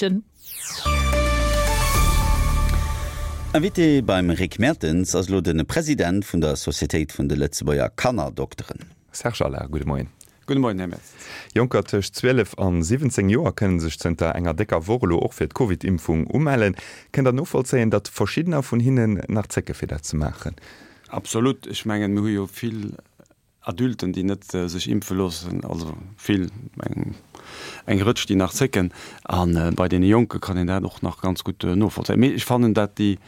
erreechen. Invité beim Rick Mertens ass elo de President vun der Societéit vun de Lëtzebuerger Kannerdokteren. Serge Allard, gudde Moien. Gudde Moien, Här Mertens. Jonker tëscht 12 an 17 Joer kënne sech zënter enger décker Woch elo och fir d'Covid-Impfung umellen. Kënnt Der novollzéien, datt verschiddener vun hinnen nach zécke fir dat ze maachen? Absolut. Ech mengen, mir hu jo vill Adulten, déi net sech impfe loossen, also vill, eng eng Rëtsch, déi nach zécken. A bei deene Jonke kann een dat och nach ganz gutt novollzéien. Mee ech fannen, dat déi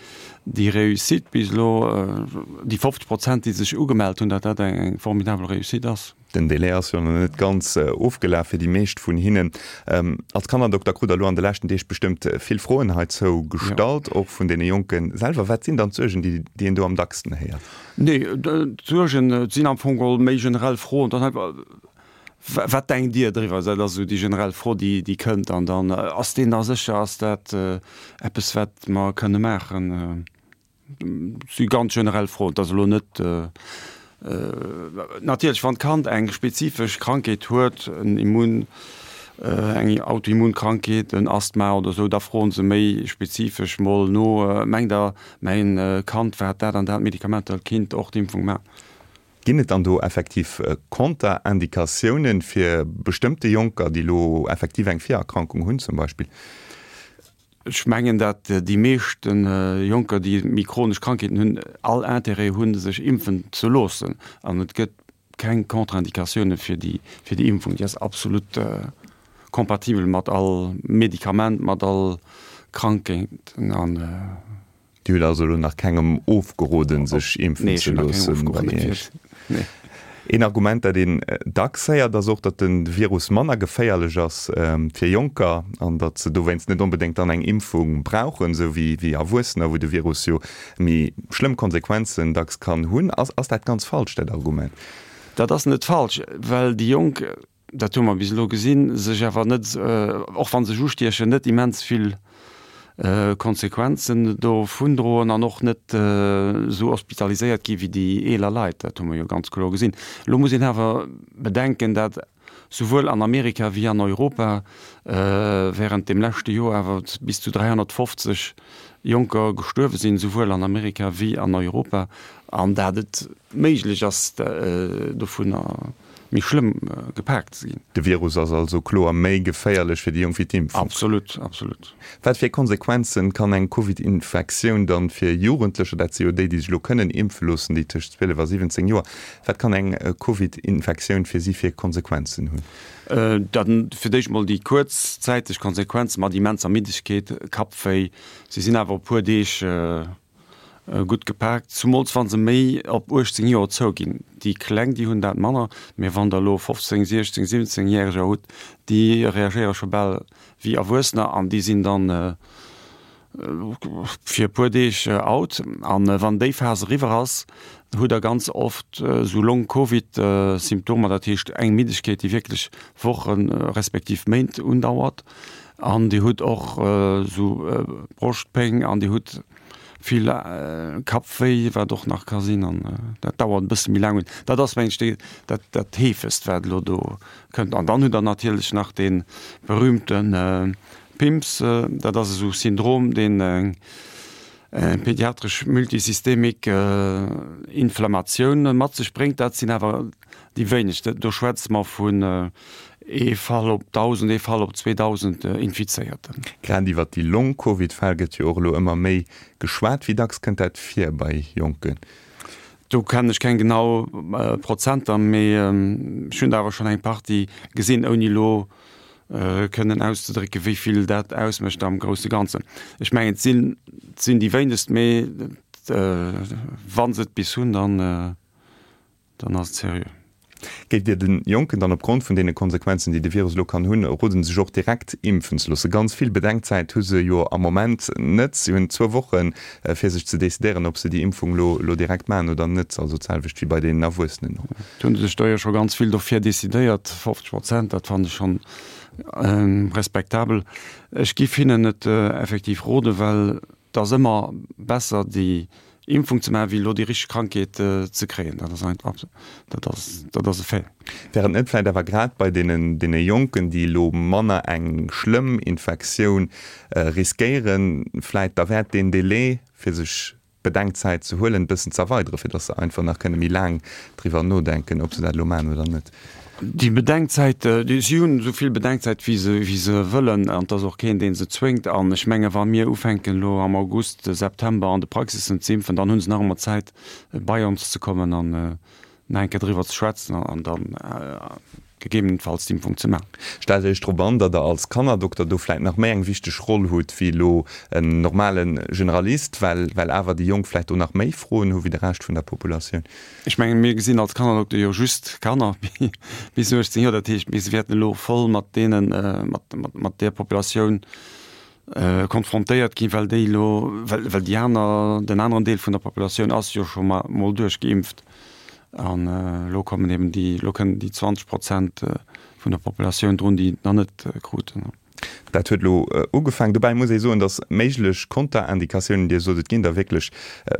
déi Réussite bis elo, déi 50 Prozent, déi sech ugemellt hunn, datt dat eng formidabel Réussite ass. Den Délai ass jo nach net ganz ofgelaf fir déi meescht vun hinnen. Als Kannerdokter krut Der elo an de leschten Deeg bestëmmt vill Froen heizou gestallt, och vun deene Jonke selwer. Wat sinn dann d'Suergen, déi déi een do am dacksten héiert? Nee, d'Suergen, et sinn am Fong geholl méi generell Froen. Dann einfach, Wat denkt Dir driwwer? Dat ass esou déi generell Fro, déi déi kënnt. An dann, Ass deen da sécher? Ass dat eppes, wat mer kënne maachen? Si ganz generell Froen. Et ass elo net, natierlech wann d'Kand eng spezifesch Krankheet huet, en Immun, eng Autoimmunkrankheet, en Asthma oder esou, da froen se méi spezifesch mol no, mengt Der, mäin Kand wat dat an dat Medikament hëlt, kinnt och d'Impfung maachen? Ginn et dann do effektiv Konterindikatiounen fir bestëmmte Jonker, déi elo effektiv eng Virerkrankung hunn zum Beispill? Ech mengen, datt déi meeschte Jonker, déi méi chronesch Krankheeten hunn, all Intérêt hunn, sech impfen ze loossen. An et gëtt keng Contre-indicatioune fir déi, fir déi Impfung. Déi ass absolut compatibel mat all Medikament, mat all Krankheet. An. Dir hutt also elo nach kengem ofgeroden, sech impfen ze loossen bei Iech? Een Argument, dat een dacks héiert, ass och, datt de Virus manner geféierlech ass fir Jonker an datt se dowéinst net onbedéngt dann eng Impfung brauchen, esou wéi Erwuessener, wou de Virus jo méi schlëmm Konsequenzen dacks kann hunn. Ass dat ganz falsch, dat Argument? Dat ass net falsch, well déi Jonk dat hu mer bis elo gesinn, sech awer net, och wa se sech ustiechen, net immens vill Konsequenzen dovundroen an och net esou hospitaliséiert gi wéi déi eeler Leit. Dat hu mer jo ganz kloer gesinn. Elo muss een awer bedenken, dat souwuel an Amerika wéi an Europa während deem leschte Joer awer bis zu 350 Jonker gestuerwe sinn, souwuel an Amerika wéi an Europa, an dat et méiglech ass, dovunner méi schlëmm gepaakt ze ginn. De Virus ass also kloer méi geféierlech fir déi Jonk wéi d'Impfung. Absolut, absolut. Wat fir Konsequenzen kann eng Covid-Infektioun dann fir Jugendlecher, dat si jo déi, déi sech elo kënnen impfe loossen, déi tëscht 12 a 17 Joer, wat kann eng Covid-Infektioun fir si fir Konsequenzen hunn? Dann fir d'éischt mol déi kuerzzäiteg Konsequenzen mat immenser Middegkeet, Kappwéi. Si sinn awer e puer Deeg Gutt gepaakt, zumools wann se méi op 18 Joer zouginn. Déi Kleng, déi hunn dat manner, mee wann der elo 15, 16, 17 Järeger hutt, déi reagéiere scho bal wéi Erwuessener an déi sinn dann fir e puer Deeg out. An wann déi Phas eriwwer ass, hutt der ganz oft esou Long-Covid-Symptomer, dat heescht eng Middegkeet, déi wierklech Wochen, respektiv Méint undauert. An Dir hutt och esou Broschtpéng an Dir hutt vill Kappwéi, wat och nach ka sinn, an dat dauert e bësse méi laang un. Dat ass, mengen ech, dat, dat heefegst, wat elo do kënnt. An dann hutt Der natierlech nach dee berühmte PIMS, dat ass esou e Syndrom, deen eng pediatresch multisystemik Inflammatioun mat sech bréngt. Dat sinn awer Déi wéinegst, do schwätze mer vun ee Fall op 1.000, ee Fall op 2.000 Infizéierten. Grad iwwer déi Long-Covid-Fäll gëtt jo och elo ëmmer méi geschwat. Wéi dacks kënnt dat vir bei Jonken? Do kennen ech keng genau Prozenter, mee ech hunn der awer schonn eng Partie gesinn, ouni elo kënnen auszedrécken, wéi vill dat ausmécht am grousse Ganzen. Ech mengen, et sinn, et sinn déi wéinegst, mee wa se et bis hunn, dann. Dann ass et seriö. Géift Dir de Jonken dann opgrond vun deene Konsequenzen, déi de Virus elo kann hunn, roden, sech och direkt impfen ze loossen? Ganz vill Bedenkzäit hu se jo am Moment net. Si hunn zwou Wochen, fir sech ze decidéieren, ob se déi Impfung elo elo direkt maachen oder net. Also d'selwecht wéi bei den Erwuessenen och. Et hu sech der jo scho ganz vill dofir decidéiert, 50 Prozent, dat fannen ech schonn respektabel. Ech giff hinnen et effektiv roden, well et ass ëmmer besser, déi. Impfung ze maachen, wéi elo déi richteg Krankheet ze kréien. Dat ass einfach, dat ass, dat ass e Fait. Wär et net vläicht awer grad bei deenen, deene Jonken, déi elo manner eng schlëmm Infektioun riskéieren, vläicht derwäert, deen Délai, fir sech Bedenkzäit ze huelen, e bëssen ze erweideren, fir datt se einfach nach kënne méi laang driwwer nodenken, ob se dat elo maachen oder net? Déi Bedenkzäit, si hunn esou vill Bedenkzäit, wéi se, wéi se wëllen, an et ass och keen, dee se zwéngt. An ech menge wa mir ufänken elo am August, September an de Praxissen ze impfen, dann hu se nach ëmmer Zäit, bei ons ze kommen an nach eng Kéier driwwer ze schwätzen an dann gegebenenfalls d'Impfung ze maachen. Stellt Iech drop an, datt Der als Kannerdokter do vläit nach méi eng wichteg Roll hutt wéi elo en normale Generalist, well, well awer déi Jonk vläit do nach méi Froen hu wéi de Rescht vun der Populatioun. Ech mengen, mir gesinn als Kannerdokter jo just Kanner bis 18 Joer. Dat heescht, mir wäerten elo voll mat deenen, mat där Populatioun konfrontéiert ginn, well déi elo, well déi aner, den aneren Deel vun der Populatioun ass jo scho mol duerchgeimpft. An elo kommen eben déi, elo kënnen déi 20 Prozent vun der Populatioun drun, déi et nach net kruten. Dat huet elo ugefaangen. Dobäi muss ee soen, datt méiglech Konterindikatiounen, Dir sot et ginn der wierklech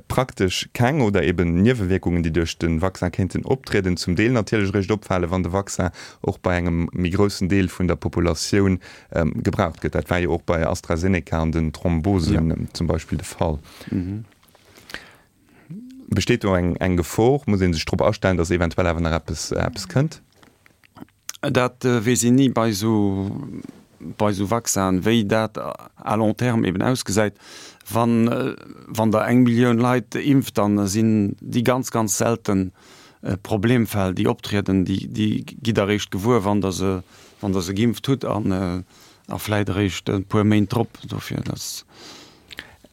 praktesch keng, oder eben Niewewierkungen, déi duerch de Vaccin kéinten optrieden, zum Deel natierlech eréischt opfalen, wann de Vaccin och bei engem méi groussen Deel vun der Populatioun gebraucht gëtt. Dat war jo och bei AstraZeneca an den Thrombosen zum Beispill de Fall. Besteet do eng Gefor? Muss ee sech drop astellen, datt eventuell awer nach eppes kënnt? Dat weess een ni bei esou, bei esou Vaccinen, wéi dat à long terme eben ausgesäit. Wann, wann Der eng Millioun Leit impft, dann sinn déi ganz, ganz selten Problemfäll, déi optrieden, déi, déi gitt Der eréischt gewuer, wann Der se, wann Der se geimpft hutt an a vläit eréischt e puer Méint drop. Dofir, dat.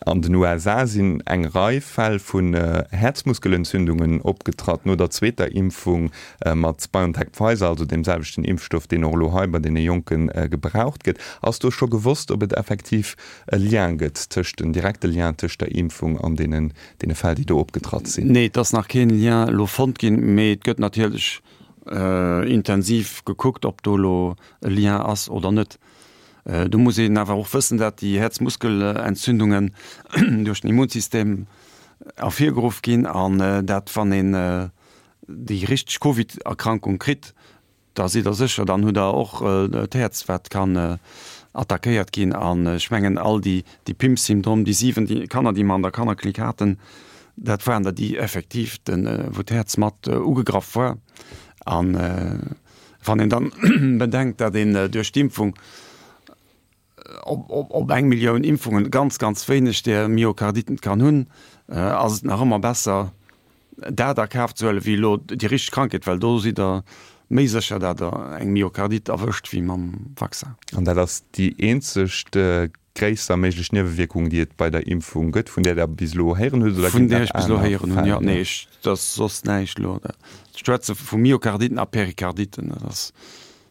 An den USA sinn eng Rei Fäll vun Häerzmuskelentzündungen opgetratt no der zweeter Impfung mat BioNTech-Pfizer, also deem selwechten Impfstoff, deen och elo hei bei deene Jonke gebraucht gëtt. Ass do scho gewosst, ob et effektiv e Lien gëtt tëscht, en direkte Lien tëscht der Impfung an deenen Fäll, déi do opgetratt sinn? Nee, et ass nach keen Lien elo fonnt ginn, mee et gëtt natierlech intensiv gekuckt, ob do elo e Lien ass oder net. Do muss een awer och wëssen, dat déi Häerzmuskelentzündungen duerch den Immunsystem ervirgeruff ginn an dat wann een déi richteg Covid-Erkrankung kritt, da sidd der sécher, dann hutt der och d'Häerz wat kann attackéiert ginn. An ech mengen all déi déi PIMS-Syndrom, déi 7 déi Kanner déi mer an der Kannerklinik haten, dat waren der déi effektiv den wou d'Häerz mat ugegraff war. An Wann een dann bedenkt, datt een duerch d'Impfung op eng Millioun Impfungen ganz, ganz wéineg där Myokarditen kann hunn, ass et nach ëmmer besser, dat a Kaf ze huelen, wéi elo déi richteg Krankheet, well do sidd Der méi sécher, datt Der eng Myokardite erwëscht, wéi mam Vaccin. An dat ass déi eenzeg gréisser méiglech Niewewierkung, déi et bei der Impfung gëtt, vun där Der bis elo héieren hutt, oder ginn et nach aner Fäll? Vun där ech bis elo héieren hunn, jo. Nee, ech, dat ass soss näischt elo. Ech schwätze vu Myokarditen a Perikarditen. Dat ass,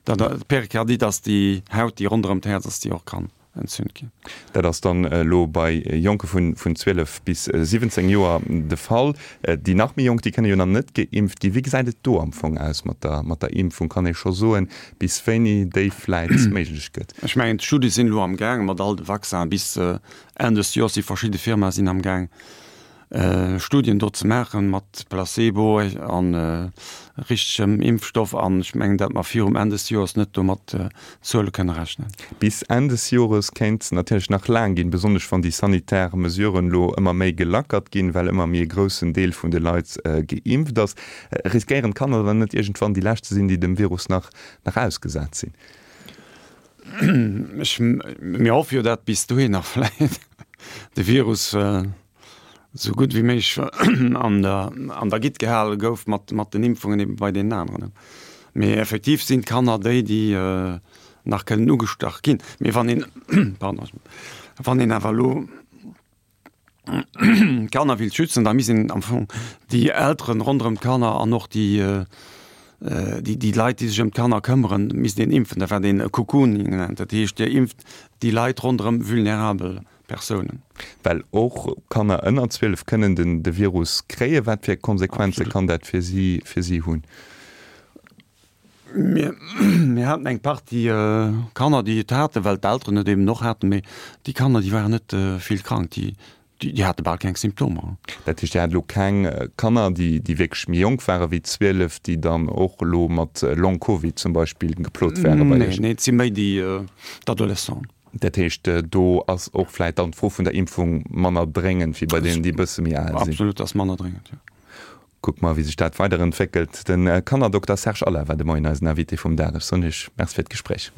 dat, d'Perikardit ass déi Haut, déi ronderëm d'Häerz ass, déi och kann entzünt ginn. Dat ass dann elo bei Jonke vun 12 bis 17 Joer de Fall. Déi nach méi Jonk, déi kënne jo nach net geimpft ginn. Wéi gesäit et do am Fong aus mat der, mat der Impfung? Kann ee scho soen, bis wéini déi vläit méiglech gëtt? Ech mengen, d'Studie sinn elo am Gaang mat all de Vaccinen. Bis Enn des Joers si verschidde Firmae sinn am Gaang Studien do ze maachen mat Placebo a richtegem Impfstoff. An ech mengen, datt mer virum Enn des Joers net do mat Zuele kënne rechnen. Bis Enn des Jores kéint natierlech nach laang ginn, besonnesch wann déi sanitär Mesuren elo ëmmer méi gelackert ginn, well ëmmer méi e groussen Deel vun de Leit geimpft ass. Riskéieren d'Kanner dann net iergendwann déi lescht ze sinn, déi dem Virus nach nach ausgesat sinn? Ech, mir hoffe jo, dat bis dohinner vläit de Virus esou gutt wéi méiglech an der an der Gitt gehale gouf mat mat den Impfungen ebe bei deenen aneren. Mee effektiv sinn d'Kanner déi, déi nach kënnen ugestach ginn. Mee wann een, pardon, wann een awer elo d'Kanner wéilt schützen, da misst een am Fong déi Elteren ronderëm d'Kanner an och déi déi Leit, déi sech ëm d'Kanner këmmeren, misst een impfen. Dat wat een Cocooning nennt. Dat heescht, Dir impft déi Leit ronderëm vulnerabel Persounen. Well och Kanner ënner 12 kënnen den de Virus kréien. Wat fir Konsequenze kann dat fir si fir si hunn? Mir mir haten eng Partie Kanner, déi et haten, well d'Elteren et eben och haten. Mee déi Kanner, déi waren net vill krank. Déi. Déi hate bal keng Symptomer. Dat heescht, Dir hat elo keng Kanner, déi wierklech méi jonk ware wéi 12, déi dann och elo mat Long Covid zum Beispill geplot ware bei Iech? Nee, nee, et si méi déi d'Adolescents. Dat heescht, do ass och vläicht dann d'Fro vun der Impfung manner dréngend wéi bei deenen, déi e bësse méi al sinn? Absolut, ass manner dréngend, jo. Kucke mer, wéi sech dat weiderentwéckelt. De Kannerdokter Serge Allard war de Moien eisen Invité vum Dag. Ech soen Iech Merci fir d'Gespréich.